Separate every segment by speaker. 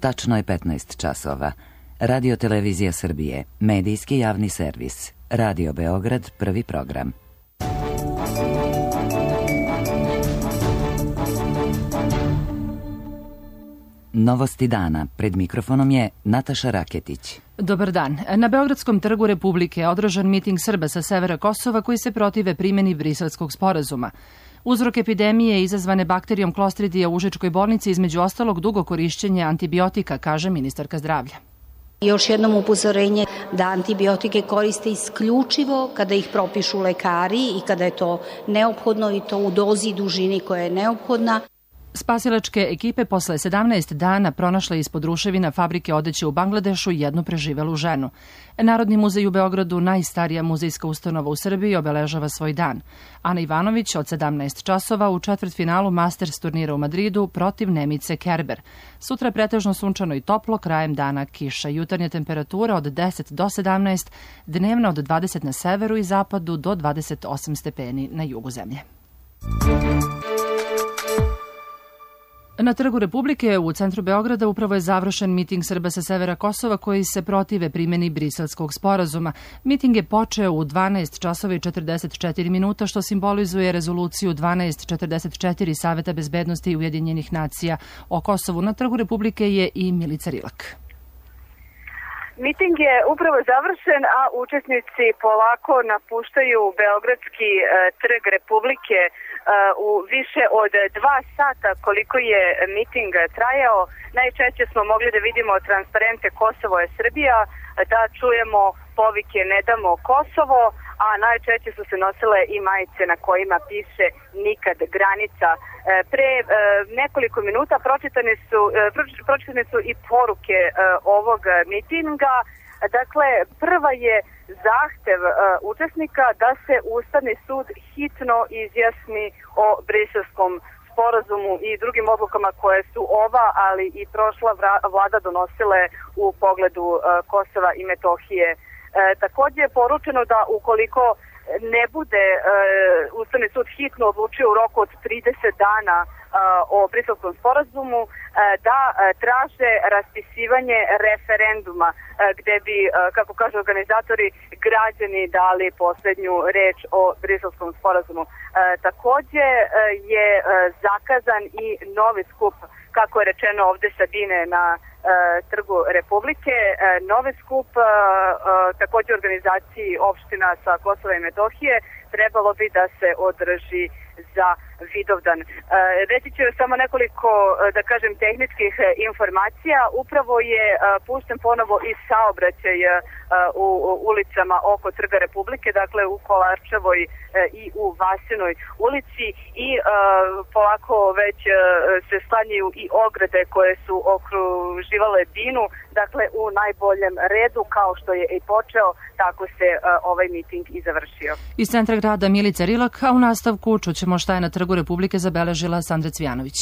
Speaker 1: tačno je 15 časova. Radio Televizija Srbije, medijski javni servis. Radio Beograd, prvi program. Novosti dana. Pred mikrofonom je Nataša Raketić.
Speaker 2: Dobar dan. Na Beogradskom trgu Republike je održan miting Srba sa severa Kosova koji se protive primjeni Briselskog sporazuma. Uzrok epidemije izazvane bakterijom Klostridija u Užičkoj bolnici između ostalog dugo korišćenje antibiotika, kaže ministarka zdravlja.
Speaker 3: Još jednom upozorenje da antibiotike koriste isključivo kada ih propišu lekari i kada je to neophodno i to u dozi i dužini koja je neophodna.
Speaker 2: Spasilačke ekipe posle 17 dana pronašle ispod ruševina fabrike odeće u Bangladešu jednu preživelu ženu. Narodni muzej u Beogradu, najstarija muzejska ustanova u Srbiji, obeležava svoj dan. Ana Ivanović od 17 časova u četvrtfinalu Masters turnira u Madridu protiv Nemice Kerber. Sutra pretežno sunčano i toplo, krajem dana kiša. Jutarnja temperatura od 10 do 17, dnevna od 20 na severu i zapadu do 28 stepeni na jugu zemlje. Na Trgu Republike u centru Beograda upravo je završen miting Srba sa severa Kosova koji se protive primjeni Briselskog sporazuma. Miting je počeo u 12 časova i 44 minuta, što simbolizuje rezoluciju 1244 Saveta bezbednosti Ujedinjenih nacija o Kosovu. Na Trgu Republike je i Milica Rilak.
Speaker 4: Miting je upravo završen, a učesnici polako napuštaju Beogradski trg Republike u više od 2 sata koliko je miting trajao. Najčešće smo mogli da vidimo transparente Kosovo je Srbija, da čujemo povike Ne damo Kosovo, a najčešće su se nosile i majice na kojima piše nikad granica. Pre nekoliko minuta pročitane su i poruke ovog mitinga. Dakle, prva je zahtev učesnika da se Ustavni sud hitno izjasni o Briselskom sporazumu i drugim odlukama koje su ova, ali i prošla vlada donosile u pogledu Kosova i Metohije. Također je poručeno da ukoliko ne bude Ustavni sud hitno odlučio u roku od 30 dana o Briselskom sporazumu, da traže raspisivanje referenduma gde bi, kako kažu organizatori, građani dali posljednju reč o Briselskom sporazumu. Također je zakazan i novi skup, kako je rečeno ovde Sabine na Trgu Republike, novi skup također organizaciji opština sa Kosova i Metohije trebalo bi da se održi za Vidovdan. Reći ću samo nekoliko, da kažem, tehničkih informacija. Upravo je pušten ponovo i saobraćaj u ulicama oko Trga Republike, dakle u Kolarčevoj i u Vasinoj ulici i polako već se sklanjaju i ograde koje su okruživale Dinu, dakle u najboljem redu, kao što je i počeo, tako se ovaj miting i završio.
Speaker 2: Iz centra grada Milica Rilak, a u nastavku čućemo šta je na Trgu Republike zabeležila Sandra Cvijanović.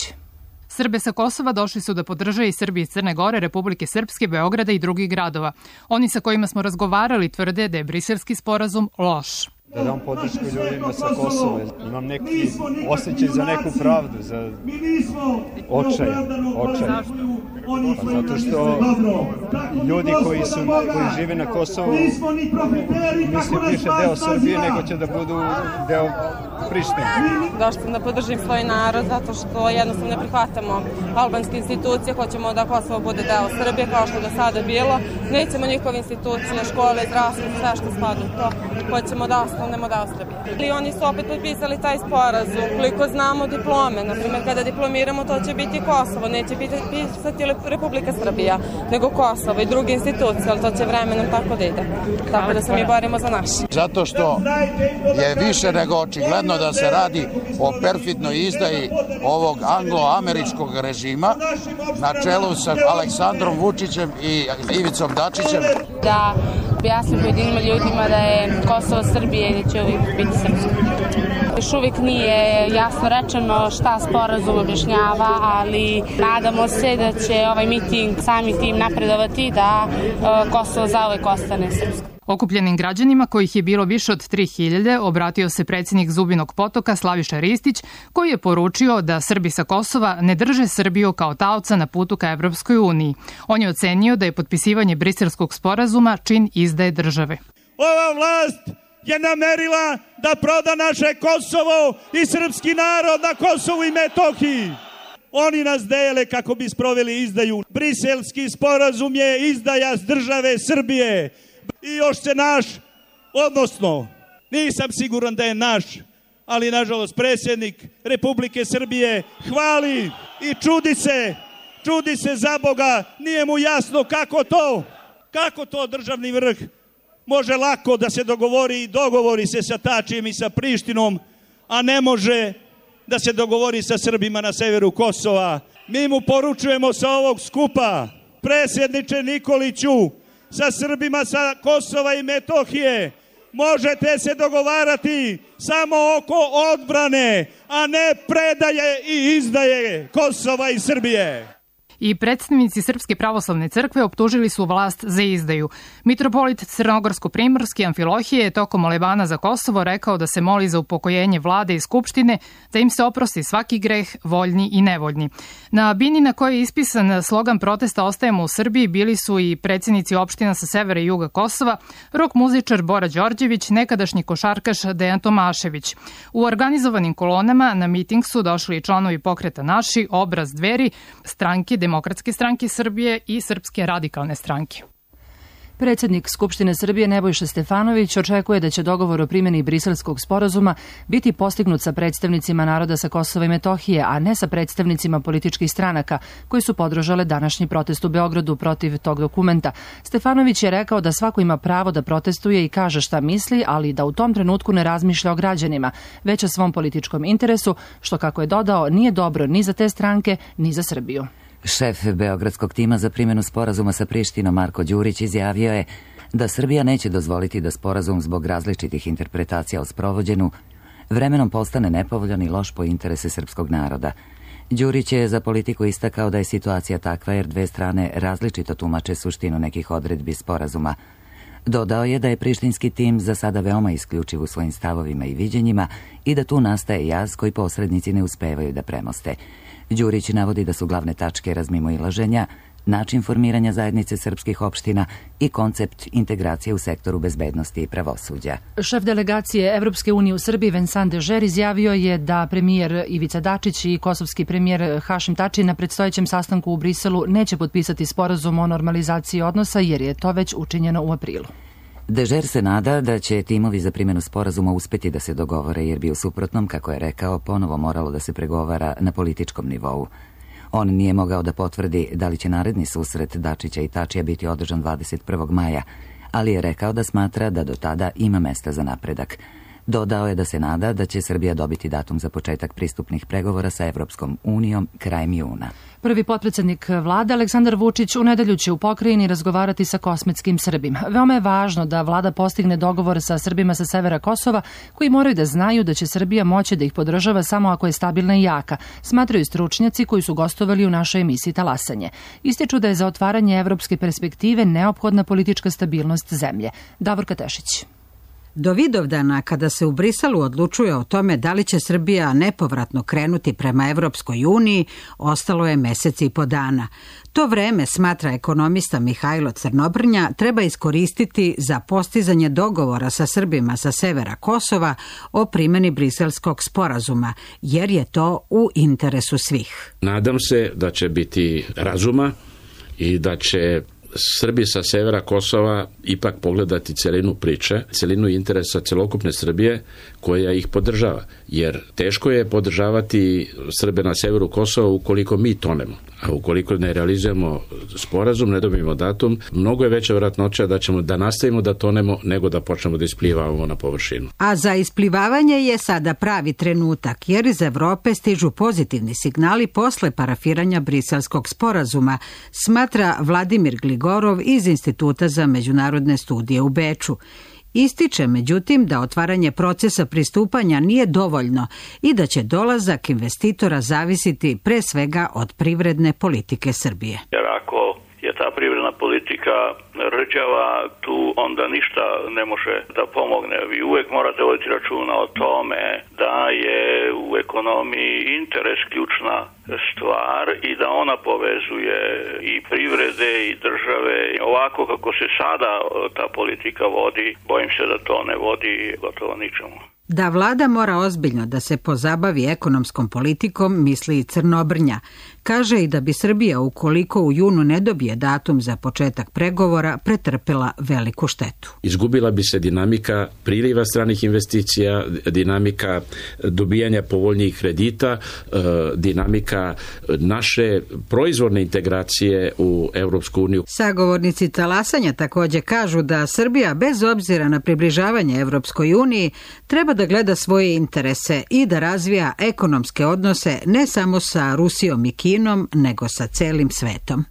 Speaker 5: Srbe sa Kosova došli su da podrže i Srbi iz Crne Gore, Republike Srpske, Beograda i drugih gradova. Oni sa kojima smo razgovarali tvrde da je Briselski sporazum loš.
Speaker 6: Da dam podršku ljudima sa Kosova. Imam neki osjećaj za neku pravdu, za očaj. Pa zato što ljudi koji žive na Kosovu misle više deo Srbije nego će da budu deo Prištine.
Speaker 7: Došli sam da podržim svoj narod zato što jednostavno ne prihvatamo albanske institucije, hoćemo da Kosovo bude deo Srbije kao što je do sada bilo. Nećemo njihove institucije, škole, zdravstvo, sve što spada u to. Hoćemo da ostanemo deo Srbije. I oni su opet potpisali taj sporazum. Koliko znamo diplome, na primjer kada diplomiramo to će biti Kosovo, neće pisati Republika Srbija, nego Kosovo i druge institucije, ali to će vremenom tako da ide. Tako da se mi borimo za naše.
Speaker 8: Zato što je više nego očigledno da se radi o perfidnoj izdaji ovog anglo-američkog režima na čelu sa Aleksandrom Vučićem i Ivicom Dačićem.
Speaker 9: Da objasnim pojedinim ljudima da je Kosovo Srbije i da će uvijek biti srpsko. Još uvijek nije jasno rečeno šta sporazum objašnjava, ali nadamo se da će ovaj miting sami tim napredovati da Kosovo zauvek ostane srpsko.
Speaker 5: Okupljenim građanima, kojih je bilo više od 3000, obratio se predsjednik Zubinog Potoka Slaviša Ristić, koji je poručio da Srbi sa Kosova ne drže Srbiju kao taoca na putu ka Evropskoj uniji. On je ocenio da je potpisivanje Briselskog sporazuma čin izdaje države.
Speaker 10: Ova vlast je namerila da proda naše Kosovo i srpski narod na Kosovu i Metohiji. Oni nas dele kako bi sproveli izdaju. Briselski sporazum je izdaja države Srbije. I još se naš, odnosno, nisam siguran da je naš, ali nažalost predsjednik Republike Srbije hvali i čudi se za Boga, nije mu jasno kako to državni vrh može lako da se dogovori i dogovori se sa Tačijem i sa Prištinom, a ne može da se dogovori sa Srbima na severu Kosova. Mi mu poručujemo sa ovog skupa, predsjedniče Nikoliću, sa Srbima sa Kosova i Metohije možete se dogovarati samo oko odbrane, a ne predaje i izdaje Kosova i Srbije.
Speaker 5: I predstavnici Srpske pravoslavne crkve optužili su vlast za izdaju. Mitropolit Crnogorsko-Primorski Amfilohije je tokom molebana za Kosovo rekao da se moli za upokojenje vlade i skupštine, da im se oprosti svaki greh, voljni i nevoljni. Na bini na kojoj je ispisan slogan protesta Ostajemo u Srbiji bili su i predsjednici opština sa severa i juga Kosova, rok muzičar Bora Đorđević, nekadašnji košarkaš Dejan Tomašević. U organizovanim kolonama na miting su došli i članovi pokreta Naši, Obraz Dveri, stranke Demokratske stranke Srbije i Srpske radikalne stranke.
Speaker 2: Predsjednik Skupštine Srbije Nebojša Stefanović očekuje da će dogovor o primjeni Briselskog sporazuma biti postignut sa predstavnicima naroda sa Kosova i Metohije, a ne sa predstavnicima političkih stranaka koji su podržale današnji protest u Beogradu protiv tog dokumenta. Stefanović je rekao da svako ima pravo da protestuje i kaže šta misli, ali da u tom trenutku ne razmišlja o građanima, već o svom političkom interesu, što, kako je dodao, nije dobro ni za te stranke, ni za Srbiju.
Speaker 1: Šef beogradskog tima za primjenu sporazuma sa Prištinom Marko Đurić izjavio je da Srbija neće dozvoliti da sporazum zbog različitih interpretacija o sprovođenju vremenom postane nepovoljan i loš po interese srpskog naroda. Đurić je za Politiku istakao da je situacija takva jer dve strane različito tumače suštinu nekih odredbi sporazuma. Dodao je da je prištinski tim za sada veoma isključiv u svojim stavovima i viđenjima i da tu nastaje jaz koji posrednici ne uspevaju da premoste. Đurić navodi da su glavne tačke razmimoilaženja, način formiranja zajednice srpskih opština i koncept integracije u sektoru bezbednosti i pravosuđa.
Speaker 2: Šef delegacije Evropske unije u Srbiji Vincent Dežer izjavio je da premijer Ivica Dačić i kosovski premijer Hašim Tači na predstojećem sastanku u Briselu neće potpisati sporazum o normalizaciji odnosa jer je to već učinjeno u aprilu.
Speaker 1: Dežer se nada da će timovi za primjenu sporazuma uspjeti da se dogovore jer bi u suprotnom, kako je rekao, ponovo moralo da se pregovara na političkom nivou. On nije mogao da potvrdi da li će naredni susret Dačića i Tačija biti održan 21. maja, ali je rekao da smatra da do tada ima mesta za napredak. Dodao je da se nada da će Srbija dobiti datum za početak pristupnih pregovora sa Evropskom unijom krajem juna.
Speaker 2: Prvi potpredsjednik vlade Aleksandar Vučić u nedelju će u pokrajini razgovarati sa kosmetskim Srbima. Veoma je važno da vlada postigne dogovor sa Srbima sa severa Kosova koji moraju da znaju da će Srbija moći da ih podržava samo ako je stabilna i jaka, smatraju stručnjaci koji su gostovali u našoj emisiji Talasanje. Ističu da je za otvaranje evropske perspektive neophodna politička stabilnost zemlje. Davorka Tešić.
Speaker 11: Do Vidovdana, kada se u Briselu odlučuje o tome da li će Srbija nepovratno krenuti prema Evropskoj uniji, ostalo je mesec i po dana. To vreme, smatra ekonomista Mihajlo Crnobrnja, treba iskoristiti za postizanje dogovora sa Srbima sa severa Kosova o primjeni Briselskog sporazuma, jer je to u interesu svih.
Speaker 12: Nadam se da će biti razuma i da će Srbi sa severa Kosova ipak pogledati celinu priče, celinu interesa celokupne Srbije koja ih podržava. Jer teško je podržavati Srbe na severu Kosova ukoliko mi tonemo. A ukoliko ne realizujemo sporazum, ne dobijemo datum, mnogo je veća vjerojatnoća da ćemo da nastavimo da tonemo nego da počnemo da isplivavamo na površinu.
Speaker 11: A za isplivavanje je sada pravi trenutak, jer iz Evrope stižu pozitivni signali posle parafiranja Briselskog sporazuma, smatra Vladimir Gligorov iz Instituta za međunarodne studije u Beču. Ističe, međutim, da otvaranje procesa pristupanja nije dovoljno i da će dolazak investitora zavisiti pre svega od privredne politike Srbije.
Speaker 13: Jer ako je ta privredna politika rđava, tu onda ništa ne može da pomogne. Vi uvek morate voditi računa o tome da je u ekonomiji interes ključna stvar i da ona povezuje i privrede i države. Ovako kako se sada ta politika vodi, bojim se da to ne vodi gotovo ničemu.
Speaker 11: Da vlada mora ozbiljno da se pozabavi ekonomskom politikom, misli i Crnobrnja. Kaže i da bi Srbija, ukoliko u junu ne dobije datum za početak pregovora, pretrpela veliku štetu.
Speaker 12: Izgubila bi se dinamika priliva stranih investicija, dinamika dobijanja povoljnijih kredita, dinamika naše proizvodne integracije u Evropsku uniju.
Speaker 11: Sagovornici talasanja također kažu da Srbija, bez obzira na približavanje Evropskoj uniji, treba da gleda svoje interese i da razvija ekonomske odnose ne samo sa Rusijom i Kinom, nego sa celim svetom.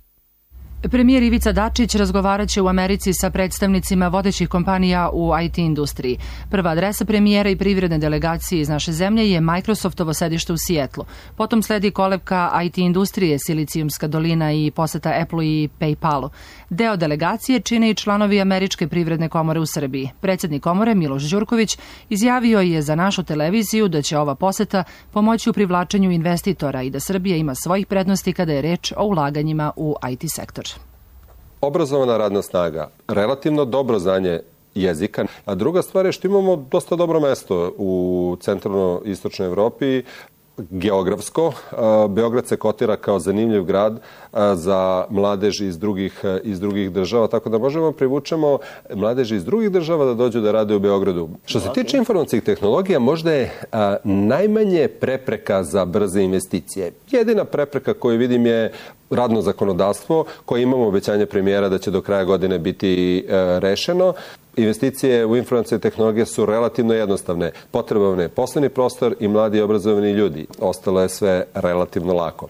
Speaker 2: Premijer Ivica Dačić razgovarat će u Americi sa predstavnicima vodećih kompanija u IT industriji. Prva adresa premijera i privredne delegacije iz naše zemlje je Microsoftovo sedište u Sijetlu. Potom sledi kolevka IT industrije, Silicijumska dolina i poseta Apple i PayPalu. Deo delegacije čine i članovi Američke privredne komore u Srbiji. Predsjednik komore Miloš Đurković izjavio je za našu televiziju da će ova poseta pomoći u privlačenju investitora i da Srbija ima svojih prednosti kada je reč o ulaganjima u IT sektor.
Speaker 14: Obrazovana radna snaga, relativno dobro znanje jezika, a druga stvar je što imamo dosta dobro mesto u centralno-istočnoj Evropi, geografsko. Beograd se kotira kao zanimljiv grad za mladež iz drugih država, tako da možemo privučemo mladež iz drugih država da dođu da rade u Beogradu. Što se tiče informacijskih tehnologija, možda je najmanje prepreka za brze investicije. Jedina prepreka koju vidim je radno zakonodavstvo, koje imamo obećanje premijera da će do kraja godine biti rešeno. Investicije u informacijske tehnologije su relativno jednostavne. Potreban je poslovni prostor i mladi obrazovani ljudi. Ostalo je sve relativno lako.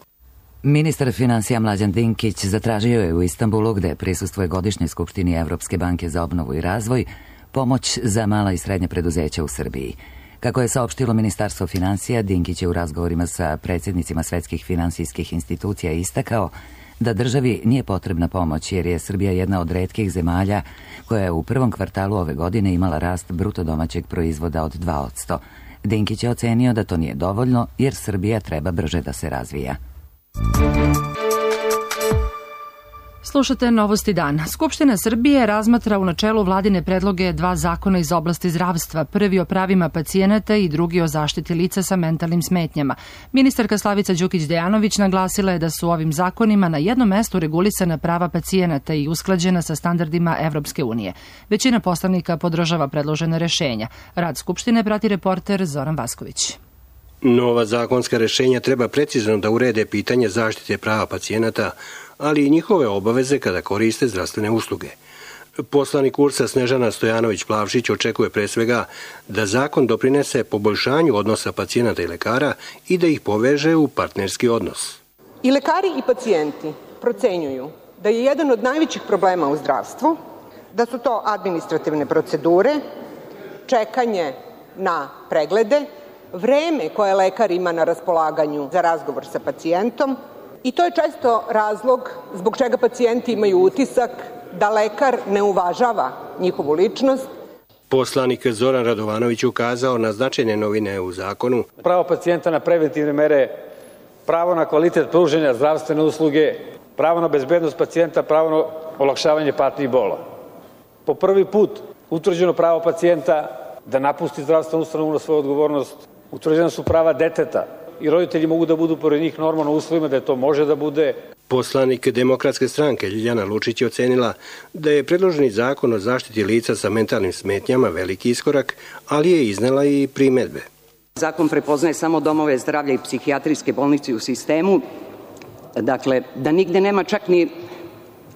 Speaker 1: Ministar financija Mlađan Dinkić zatražio je u Istanbulu, gde prisustvuje godišnjoj skupštini Evropske banke za obnovu i razvoj, pomoć za mala i srednja preduzeća u Srbiji. Kako je saopštilo Ministarstvo financija, Dinkić je u razgovorima sa predsjednicima svetskih finansijskih institucija istakao da državi nije potrebna pomoć jer je Srbija jedna od retkih zemalja koja je u prvom kvartalu ove godine imala rast bruto domaćeg proizvoda od 2%. Dinkić je ocenio da to nije dovoljno jer Srbija treba brže da se razvija.
Speaker 2: Slušate Novosti dan. Skupština Srbije razmatra u načelu vladine predloge 2 zakona iz oblasti zdravstva, prvi o pravima pacijenata i drugi o zaštiti lica sa mentalnim smetnjama. Ministarka Slavica Đukić-Dejanović naglasila je da su ovim zakonima na jednom mestu regulisana prava pacijenata i usklađena sa standardima Evropske unije. Većina poslanika podržava predložene rešenja. Rad Skupštine prati reporter Zoran Vasković.
Speaker 15: Nova zakonska rešenja treba precizno da urede pitanje zaštite prava pacijenata, ali i njihove obaveze kada koriste zdravstvene usluge. Poslanik URS-a Snežana Stojanović-Plavšić očekuje pre svega da zakon doprinese poboljšanju odnosa pacijenata i lekara i da ih poveže u partnerski odnos.
Speaker 16: I lekari i pacijenti procenjuju da je jedan od najvećih problema u zdravstvu, da su to administrativne procedure, čekanje na preglede, vreme koje lekar ima na raspolaganju za razgovor sa pacijentom, i to je često razlog zbog čega pacijenti imaju utisak da lekar ne uvažava njihovu ličnost.
Speaker 15: Poslanik Zoran Radovanović ukazao na značajne novine u zakonu.
Speaker 17: Pravo pacijenta na preventivne mere, pravo na kvalitet pružanja zdravstvene usluge, pravo na bezbednost pacijenta, pravo na olakšavanje patnji i bola. Po prvi put utvrđeno pravo pacijenta da napusti zdravstvenu ustanovu na svoju odgovornost, utvrđena su prava deteta i roditelji mogu da budu pored njih normalno u uslovima da to može da bude.
Speaker 15: Poslanik Demokratske stranke Ljiljana Lučić je ocenila da je predloženi zakon o zaštiti lica sa mentalnim smetnjama veliki iskorak, ali je iznela i primedbe.
Speaker 18: Zakon prepoznaje samo domove zdravlja i psihijatrijske bolnice u sistemu, dakle da nigde nema čak ni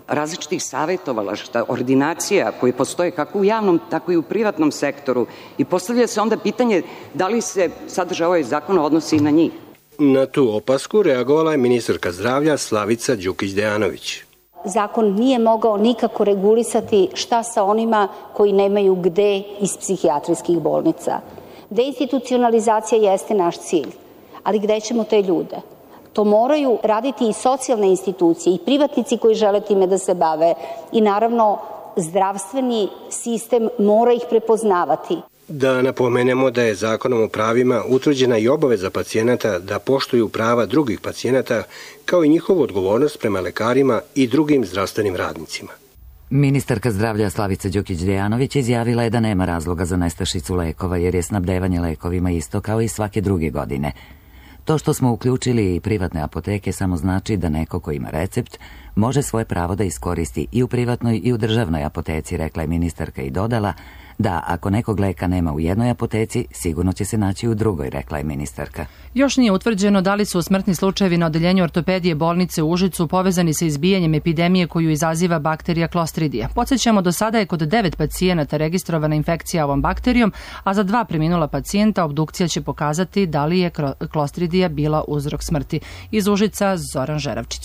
Speaker 18: različitih savjetovalašta, ordinacija koje postoje kako u javnom, tako i u privatnom sektoru i postavlja se onda pitanje da li se sadržaj ovaj zakon odnosi i na njih.
Speaker 15: Na tu opasku reagovala je ministarka zdravlja Slavica Đukić-Dejanović.
Speaker 3: Zakon nije mogao nikako regulisati šta sa onima koji nemaju gde iz psihijatrijskih bolnica. Deinstitucionalizacija jeste naš cilj, ali gde ćemo te ljude? To moraju raditi i socijalne institucije i privatnici koji žele time da se bave i naravno zdravstveni sistem mora ih prepoznavati.
Speaker 15: Da napomenemo da je Zakonom o pravima utvrđena i obaveza pacijenata da poštuju prava drugih pacijenata, kao i njihovu odgovornost prema lekarima i drugim zdravstvenim radnicima.
Speaker 1: Ministarka zdravlja Slavica Đukić-Dejanović izjavila je da nema razloga za nestašicu lekova jer je snabdevanje lekovima isto kao i svake druge godine. To što smo uključili i privatne apoteke samo znači da neko ko ima recept može svoje pravo da iskoristi i u privatnoj i u državnoj apoteci, rekla je ministarka i dodala da ako nekog leka nema u jednoj apoteci, sigurno će se naći u drugoj, rekla je ministarka.
Speaker 2: Još nije utvrđeno da li su smrtni slučajevi na odeljenju ortopedije bolnice u Užicu povezani sa izbijanjem epidemije koju izaziva bakterija Clostridia. Podsjećamo, do sada je kod 9 pacijenata registrovana infekcija ovom bakterijom, a za 2 preminula pacijenta obdukcija će pokazati da li je Clostridia bila uzrok smrti. Iz Užica, Zoran Žeravčić.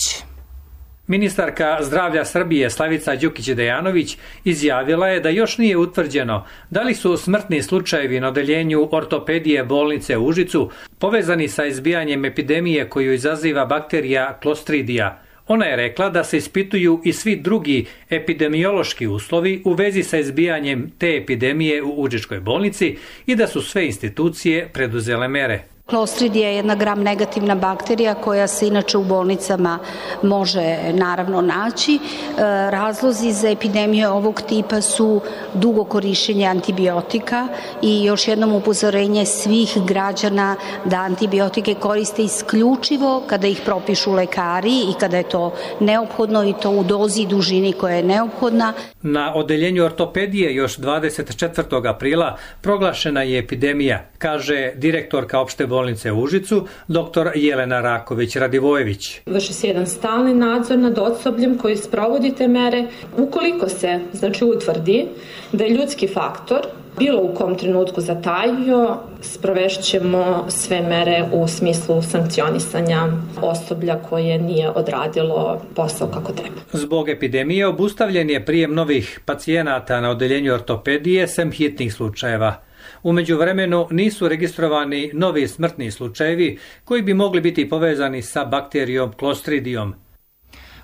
Speaker 19: Ministarka zdravlja Srbije Slavica Đukić-Dejanović izjavila je da još nije utvrđeno da li su smrtni slučajevi na odeljenju ortopedije bolnice u Užicu povezani sa izbijanjem epidemije koju izaziva bakterija Clostridia. Ona je rekla da se ispituju i svi drugi epidemiološki uslovi u vezi sa izbijanjem te epidemije u Užičkoj bolnici i da su sve institucije preduzele mere.
Speaker 3: Clostridia je jedna gram negativna bakterija koja se inače u bolnicama može naravno naći. Razlozi za epidemiju ovog tipa su dugo korišćenje antibiotika i još jednom upozorenje svih građana da antibiotike koriste isključivo kada ih propišu lekari i kada je to neophodno i to u dozi i dužini koja je neophodna.
Speaker 19: Na odeljenju ortopedije još 24. aprila proglašena je epidemija, kaže direktorka opšte bolnice u Užicu, dr. Jelena Raković-Radivojević.
Speaker 20: Vrši se jedan stalni nadzor nad osobljem koji sprovodi te mere. Ukoliko se utvrdi da je ljudski faktor bilo u kom trenutku zatajio, sprovešćemo sve mere u smislu sankcionisanja osoblja koje nije odradilo posao kako treba.
Speaker 19: Zbog epidemije obustavljen je prijem novih pacijenata na odeljenju ortopedije sem hitnih slučajeva. U međuvremenu nisu registrovani novi smrtni slučajevi koji bi mogli biti povezani sa bakterijom Clostridijom.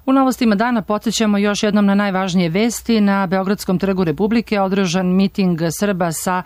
Speaker 2: U novostima dana podsjećamo još jednom na najvažnije vesti. Na Beogradskom trgu Republike održan miting Srba sa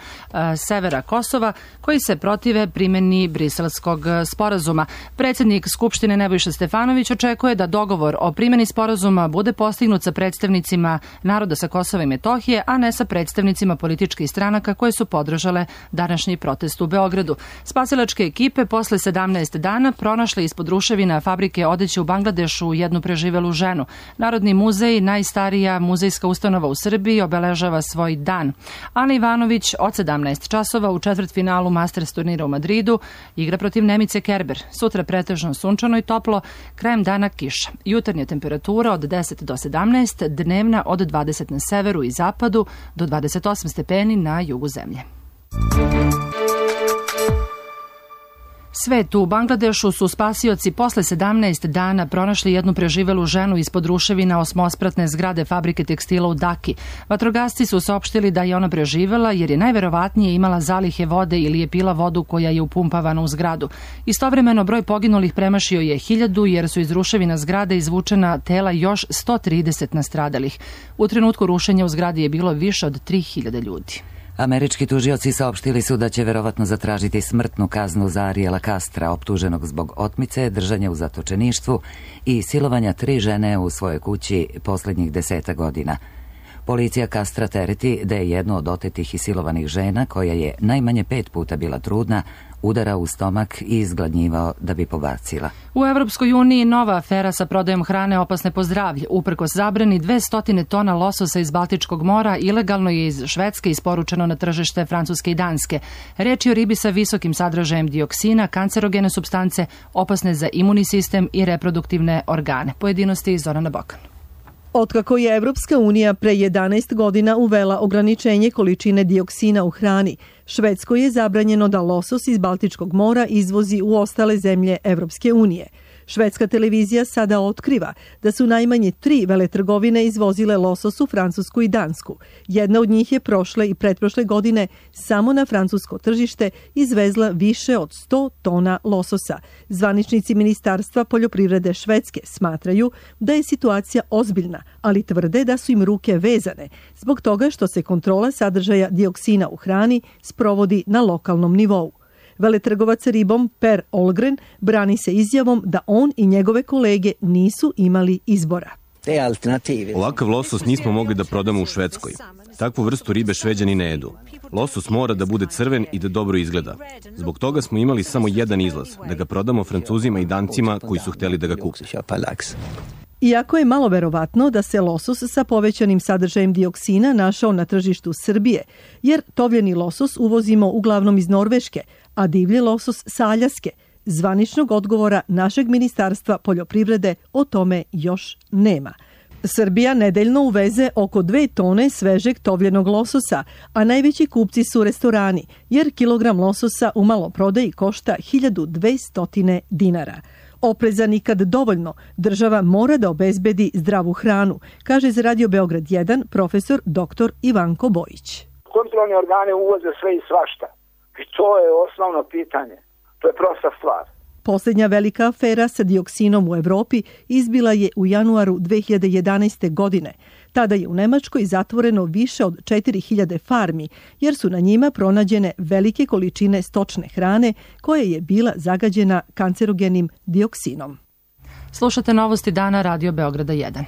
Speaker 2: severa Kosova koji se protive primjeni Briselskog sporazuma. Predsjednik Skupštine Nebojša Stefanović očekuje da dogovor o primjeni sporazuma bude postignut sa predstavnicima naroda sa Kosova i Metohije, a ne sa predstavnicima političkih stranaka koje su podržale današnji protest u Beogradu. Spasilačke ekipe posle 17 dana pronašle ispod ruševina fabrike odeće u Bangladešu jednu preživelu ženu. Narodni muzej, najstarija muzejska ustanova u Srbiji, obeležava svoj dan. Ana Ivanović od 17 časova u četvrtfinalu Masters turnira u Madridu igra protiv Nemice Kerber. Sutra pretežno sunčano i toplo, krajem dana kiša. Jutarnja temperatura od 10 do 17, dnevna od 20 na severu i zapadu do 28 stepeni na jugu zemlje. Svetu u Bangladešu su spasioci posle 17 dana pronašli jednu preživelu ženu ispod ruševina osmospratne zgrade fabrike tekstila u Daki. Vatrogasci su saopštili da je ona preživela jer je najverovatnije imala zalihe vode ili je pila vodu koja je upumpavana u zgradu. Istovremeno broj poginulih premašio je 1000 jer su iz ruševina zgrade izvučena tela još 130 nastradalih. U trenutku rušenja u zgradi je bilo više od 3000 ljudi.
Speaker 1: Američki tužioci saopštili su da će verovatno zatražiti smrtnu kaznu za Ariela Castra, optuženog zbog otmice, držanja u zatočeništvu i silovanja 3 žene u svojoj kući posljednjih 10 godina. Policija Castra tereti da je jednu od otetih i silovanih žena, koja je najmanje 5 puta bila trudna, udara u stomak i izgladnjivao da bi pobacila.
Speaker 2: U Evropskoj uniji nova afera sa prodajom hrane opasne po zdravlje. Uprkos zabrani 200 tona lososa iz Baltičkog mora ilegalno je iz Švedske isporučeno na tržište Francuske i Danske. Reč je o ribi sa visokim sadržajem dioksina, kancerogene supstance, opasne za imunni sistem i reproduktivne organe. Pojedinosti iz Zorana Bokan.
Speaker 21: Otkako je Evropska unija pre 11 godina uvela ograničenje količine dioksina u hrani, Švedskoj je zabranjeno da losos iz Baltičkog mora izvozi u ostale zemlje Evropske unije. Švedska televizija sada otkriva da su najmanje 3 veletrgovine izvozile losos u Francusku i Dansku. Jedna od njih je prošle i pretprošle godine samo na francusko tržište izvezla više od 100 tona lososa. Zvaničnici Ministarstva poljoprivrede Švedske smatraju da je situacija ozbiljna, ali tvrde da su im ruke vezane zbog toga što se kontrola sadržaja dioksina u hrani sprovodi na lokalnom nivou. Veletrgovac ribom Per Olgren brani se izjavom da on i njegove kolege nisu imali izbora.
Speaker 4: Ovakav losos nismo mogli da prodamo u Švedskoj. Takvu vrstu ribe Šveđani ne jedu. Losos mora da bude crven i da dobro izgleda. Zbog toga smo imali samo jedan izlaz, da ga prodamo Francuzima i Dancima koji su hteli da ga kupe.
Speaker 21: Iako je malo verovatno da se losos sa povećanim sadržajem dioksina našao na tržištu Srbije, jer tovljeni losos uvozimo uglavnom iz Norveške, a divlji losos sa Aljaske, zvaničnog odgovora našeg Ministarstva poljoprivrede o tome još nema. Srbija nedeljno uveze oko 2 tone svežeg tovljenog lososa, a najveći kupci su restorani, jer kilogram lososa u maloprodaji košta 1200 dinara. Opreza nikad dovoljno, država mora da obezbedi zdravu hranu, kaže za Radio Beograd 1 profesor dr. Ivanko Bojić.
Speaker 22: Kontrolni organi uvoze sve i svašta i to je osnovno pitanje, to je prosta stvar.
Speaker 21: Posljednja velika afera sa dioksinom u Evropi izbila je u januaru 2011. godine. Tada je u Nemačkoj zatvoreno više od 4000 farmi, jer su na njima pronađene velike količine stočne hrane koja je bila zagađena kancerogenim dioksinom.
Speaker 2: Slušate novosti dana Radio Beograda 1.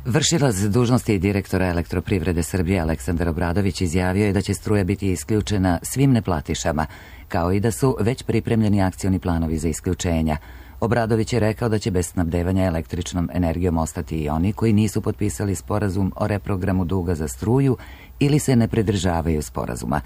Speaker 1: Vršilac dužnosti direktora Elektroprivrede Srbije Aleksandar Obradović izjavio je da će struja biti isključena svim neplatišama, kao i da su već pripremljeni akcioni planovi za isključenja. Obradović je rekao da će bez snabdevanja električnom energijom ostati i oni koji nisu potpisali sporazum o reprogramu duga za struju ili se ne pridržavaju sporazuma.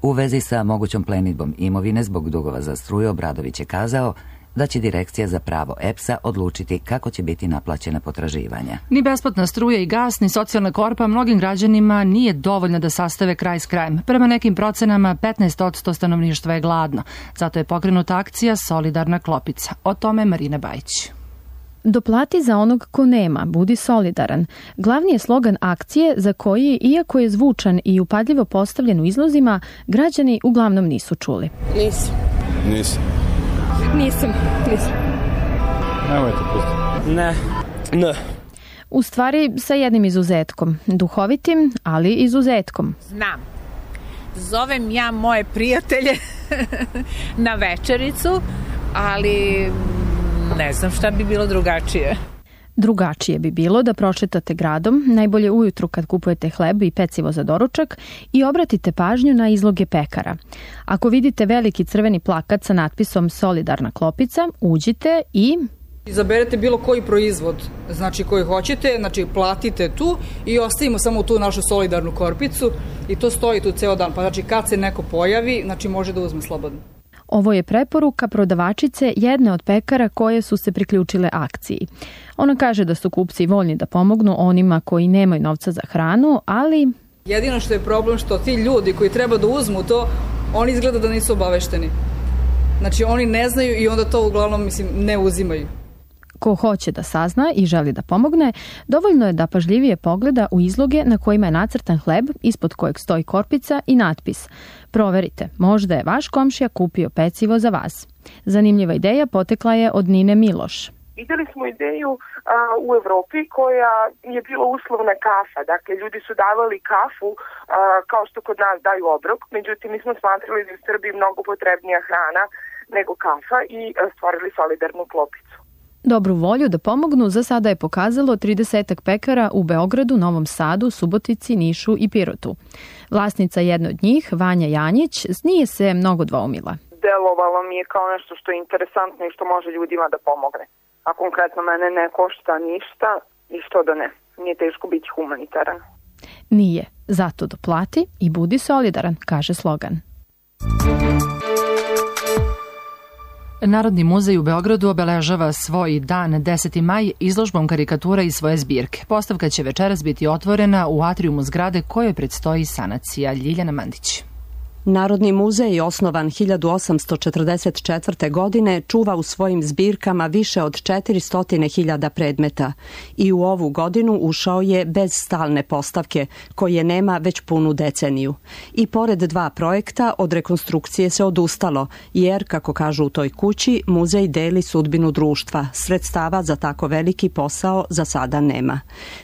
Speaker 1: U vezi sa mogućom plenidbom imovine zbog dugova za struju, Obradović je kazao da će Direkcija za pravo EPS-a odlučiti kako će biti naplaćena potraživanja.
Speaker 2: Ni besplatna struja i gas, ni socijalna korpa mnogim građanima nije dovoljna da sastave kraj s krajem. Prema nekim procenama 15% stanovništva je gladno. Zato je pokrenuta akcija Solidarna klopica. O tome Marina Bajić.
Speaker 23: Doplati za onog ko nema, budi solidaran. Glavni je slogan akcije za koji, iako je zvučan i upadljivo postavljen u izlozima, građani uglavnom nisu čuli.
Speaker 24: Nisam. Nemojte pustiti. Ne.
Speaker 23: U stvari sa jednim izuzetkom. Duhovitim, ali izuzetkom.
Speaker 25: Znam. Zovem ja moje prijatelje na večericu, ali ne znam šta bi bilo drugačije.
Speaker 23: Drugačije bi bilo da prošetate gradom, najbolje ujutru kad kupujete hleb i pecivo za doručak i obratite pažnju na izloge pekara. Ako vidite veliki crveni plakat sa natpisom Solidarna klopica, uđite i
Speaker 26: izaberete bilo koji proizvod, znači koji hoćete, znači platite tu i ostavimo samo tu našu solidarnu korpicu i to stoji tu ceo dan, pa znači kad se neko pojavi, znači može da uzme slobodno.
Speaker 23: Ovo je preporuka prodavačice jedne od pekara koje su se priključile akciji. Ona kaže da su kupci voljni da pomognu onima koji nemaju novca za hranu, ali
Speaker 26: jedino što je problem što ti ljudi koji treba da uzmu to, oni izgleda da nisu obavešteni. Znači oni ne znaju i onda to uglavnom ne uzimaju.
Speaker 23: Ko hoće da sazna i želi da pomogne, dovoljno je da pažljivije pogleda u izloge na kojima je nacrtan hleb, ispod kojeg stoji korpica i natpis. Proverite, možda je vaš komšija kupio pecivo za vas. Zanimljiva ideja potekla je od Nine Miloš.
Speaker 27: Videli smo ideju u Evropi koja je bila uslovna kafa. Dakle, ljudi su davali kafu kao što kod nas daju obrok. Međutim, mi smo smatrali da je u Srbiji mnogo potrebnija hrana nego kafa i stvorili solidarnu klopicu.
Speaker 23: Dobru volju da pomognu za sada je pokazalo 30 pekara u Beogradu, Novom Sadu, Subotici, Nišu i Pirotu. Vlasnica jedne od njih, Vanja Janjić, nije se mnogo dvoumila.
Speaker 27: Delovalo mi je kao nešto što je interesantno i što može ljudima da pomogne. A konkretno mene ne košta ništa i što da ne. Nije teško biti humanitaran.
Speaker 23: Nije. Zato doplati i budi solidaran, kaže slogan.
Speaker 2: Narodni muzej u Beogradu obeležava svoj dan 10. maj izložbom karikatura iz svoje zbirke. Postavka će večeras biti otvorena u atrijumu zgrade kojoj predstoji sanacija. Ljiljana Mandić.
Speaker 5: Narodni muzej, osnovan 1844. godine, čuva u svojim zbirkama više od 400.000 predmeta i u ovu godinu ušao je bez stalne postavke, koje nema već punu deceniju. I pored 2 projekta, od rekonstrukcije se odustalo, jer, kako kažu u toj kući, muzej deli sudbinu društva. Sredstava za tako veliki posao za sada nema.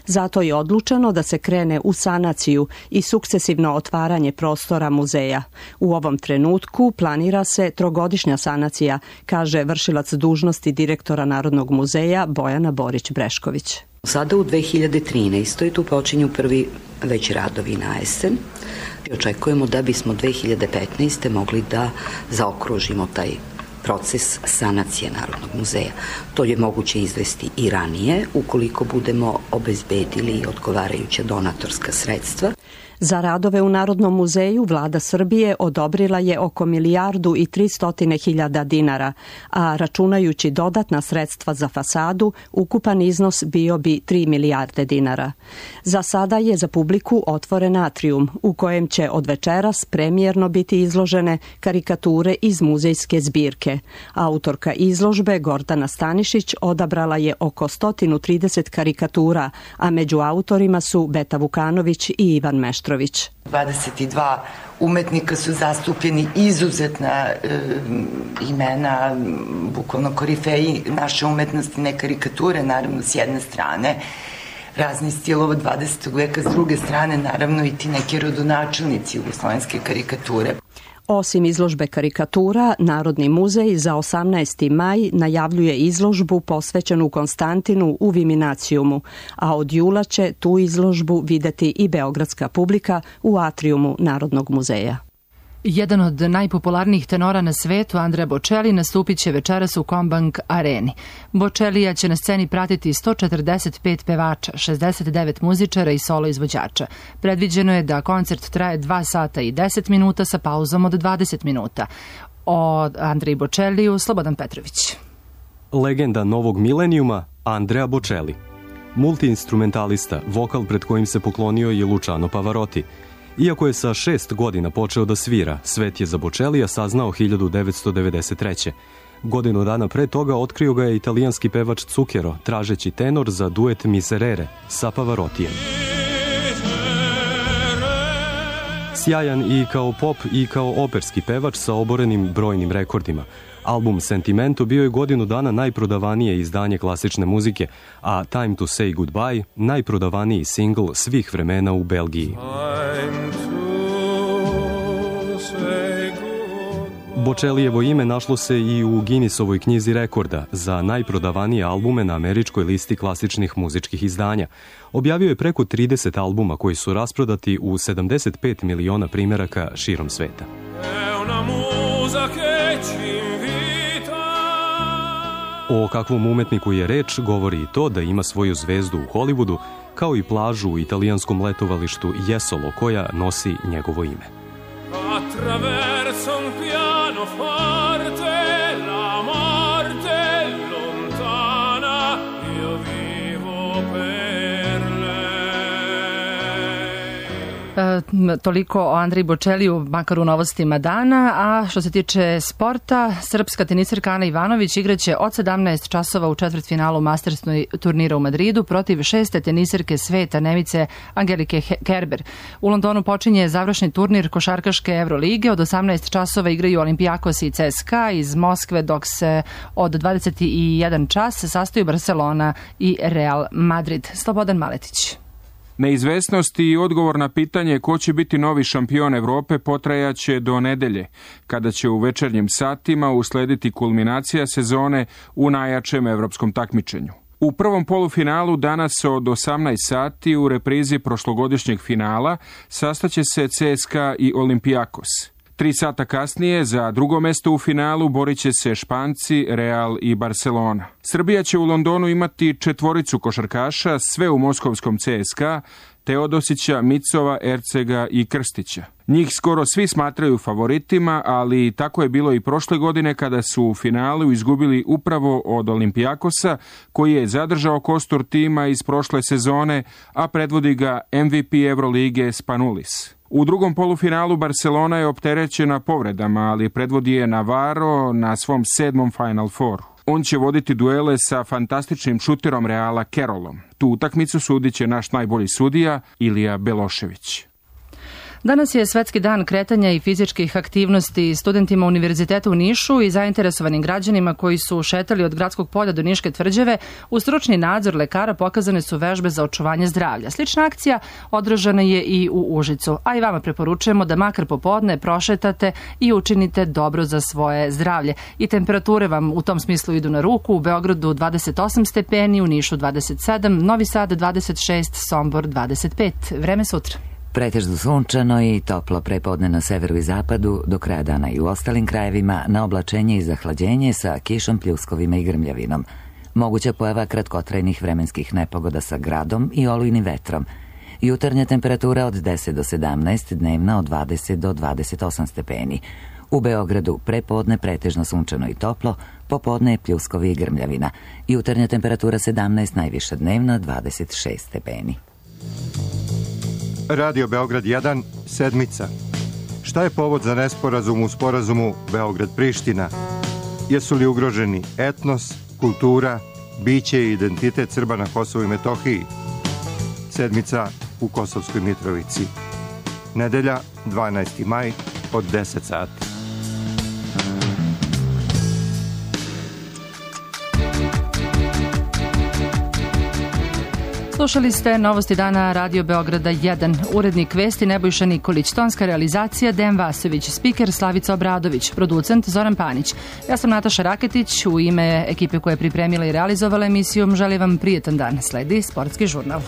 Speaker 5: Zato je odlučeno da se krene u sanaciju i sukcesivno otvaranje prostora muzeja. U ovom trenutku planira se 3-godišnja sanacija, kaže vršilac dužnosti direktora Narodnog muzeja Bojana Borić-Brešković.
Speaker 6: Sada u 2013. tu počinju prvi već radovi na jesen. Očekujemo da bismo 2015. mogli da zaokružimo taj proces sanacije Narodnog muzeja. To je moguće izvesti i ranije, ukoliko budemo obezbedili odgovarajuća donatorska sredstva.
Speaker 5: Za radove u Narodnom muzeju vlada Srbije odobrila je oko 1.300.000 dinara, a računajući dodatna sredstva za fasadu, ukupan iznos bio bi 3 milijarde dinara. Za sada je za publiku otvoren atrijum, u kojem će od večeras premijerno biti izložene karikature iz muzejske zbirke. Autorka izložbe Gordana Stanišić odabrala je oko 130 karikatura, a među autorima su Beta Vukanović i Ivan Meštrović.
Speaker 7: 22 umetnika su zastupljeni, izuzetna imena, bukvalno korifeji naše umetnosti, ne karikature, naravno s jedne strane, razni stilova 20. veka, s druge strane naravno i ti neki rodonačelnici jugoslovenske karikature.
Speaker 5: Osim izložbe karikatura, Narodni muzej za 18. maj najavljuje izložbu posvećenu Konstantinu u Viminacijumu, a od jula će tu izložbu videti i beogradska publika u atrijumu Narodnog muzeja.
Speaker 2: Jedan od najpopularnijih tenora na svetu, Andrea Bocelli, nastupit će večeras u Combank areni. Bocellija će na sceni pratiti 145 pevača, 69 muzičara i solo izvođača. Predviđeno je da koncert traje 2 sata i 10 minuta sa pauzom od 20 minuta. O Andreji Bocelliju, Slobodan Petrović.
Speaker 8: Legenda novog milenijuma, Andrea Bocelli. Multiinstrumentalista, vokal pred kojim se poklonio je Luciano Pavarotti. Iako je sa 6 godina počeo da svira, svet je za Bocellija saznao 1993. Godinu dana pre toga otkrio ga je italijanski pevač Zucchero, tražeći tenor za duet Miserere sa Pavarottijem. Sjajan i kao pop i kao operski pevač sa oborenim brojnim rekordima. Album Sentimento bio je godinu dana najprodavanije izdanje klasične muzike, a Time to Say Goodbye najprodavaniji singl svih vremena u Belgiji. Bocellijevo ime našlo se i u Guinnessovoj knjizi rekorda za najprodavanije albume na američkoj listi klasičnih muzičkih izdanja. Objavio je preko 30 albuma koji su rasprodati u 75 miliona primeraka širom sveta. O kakvom umetniku je reč govori i to da ima svoju zvezdu u Hollywoodu, kao i plažu u italijanskom letovalištu Jesolo koja nosi njegovo ime.
Speaker 2: Toliko o Andreji Bocelliju, makar u novostima dana. A što se tiče sporta, srpska tenisirka Ana Ivanović igraće od 17 časova u četvrtfinalu Masters turnira u Madridu protiv 6. tenisirke sveta Nemice Angelike Kerber. U Londonu počinje završni turnir košarkaške Evrolige. Od 18 časova igraju Olimpijakos i CSKA iz Moskve, dok se od 21 čas sastaju Barcelona i Real Madrid. Slobodan Maletić.
Speaker 9: Neizvesnost i odgovor na pitanje ko će biti novi šampion Evrope potrajaće do nedelje, kada će u večernjim satima uslediti kulminacija sezone u najjačem evropskom takmičenju. U prvom polufinalu danas od 18 sati u reprizi prošlogodišnjeg finala sastaće se CSKA i Olimpijakos. 3 sata kasnije za drugo mesto u finalu borit će se Španci, Real i Barcelona. Srbija će u Londonu imati 4 košarkaša, sve u moskovskom CSKA, Teodosića, Micova, Ercega i Krstića. Njih skoro svi smatraju favoritima, ali tako je bilo i prošle godine kada su u finalu izgubili upravo od Olimpijakosa, koji je zadržao kostur tima iz prošle sezone, a predvodi ga MVP Evrolige Spanulis. U drugom polufinalu Barcelona je opterećena povredama, ali predvodi je Navarro na svom 7. Final Fouru. On će voditi duele sa fantastičnim šuterom Reala Carrollom. Tu utakmicu sudit će naš najbolji sudija Ilija Belošević.
Speaker 2: Danas je Svetski dan kretanja i fizičkih aktivnosti. Studentima Univerziteta u Nišu i zainteresovanim građanima koji su šetali od Gradskog polja do Niške tvrđave u stručni nadzor lekara pokazane su vežbe za očuvanje zdravlja. Slična akcija održana je i u Užicu, a i vama preporučujemo da makar popodne prošetate i učinite dobro za svoje zdravlje. I temperature vam u tom smislu idu na ruku. U Beogradu 28 stepeni, u Nišu 27, Novi Sad 26, Sombor 25. Vreme sutra.
Speaker 1: Pretežno sunčano i toplo prepodne na severu i zapadu, do kraja dana i u ostalim krajevima na oblačenje i zahlađenje sa kišom, pljuskovima i grmljavinom. Moguća pojava kratkotrajnih vremenskih nepogoda sa gradom i olujnim vetrom. Jutarnja temperatura od 10 do 17, dnevna od 20 do 28 stepeni. U Beogradu prepodne pretežno sunčano i toplo, popodne je pljuskovi i grmljavina. Jutarnja temperatura 17, najviša dnevna 26 stepeni.
Speaker 10: Radio Beograd 1, sedmica. Šta je povod za nesporazum u sporazumu Beograd-Priština? Jesu li ugroženi etnos, kultura, biće i identitet Srba na Kosovu i Metohiji? Sedmica u Kosovskoj Mitrovici. Nedelja, 12. maj, od 10 sati.
Speaker 2: Slušali ste Novosti dana Radio Beograda 1. Urednik vesti Nebojša Nikolić, tonska realizacija Dejan Vasović, spiker Slavica Obradović, producent Zoran Panić. Ja sam Nataša Raketić, u ime ekipe koja je pripremila i realizovala emisiju želim vam prijetan dan. Sledi Sportski žurnal.